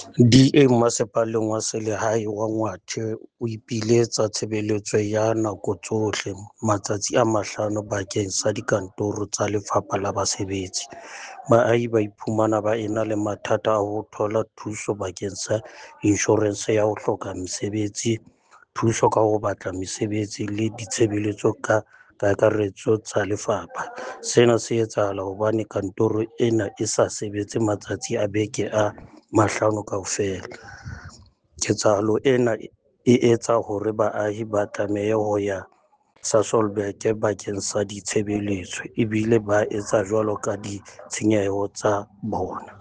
DA Masepaleng wa Selehae wa Ngwathe o ipiletsa tshebeletso ya nako tsohle, matsatsi a mahlano bakeng sa dikantoro tsa Lefapha la Basebetsi. Baahi ba iphumana ba ena le mathata a ho thola thuso bakeng sa inshorense ya ho hloka mosebetsi, thuso ka ho batla mesebetsi le ditshebeletso ka kakaretso tsa lefapha. Sena se etsahala hobane kantoro ena e sa sebetse matsatsi a beke a mahlano kaofela. Ketsahalo ena e etsa hore baahi ba tlamehe ho ya Sasolburg bakeng sa ditshebeletso, ebile ba etsa jwalo ka ditshenyeho tsa bona.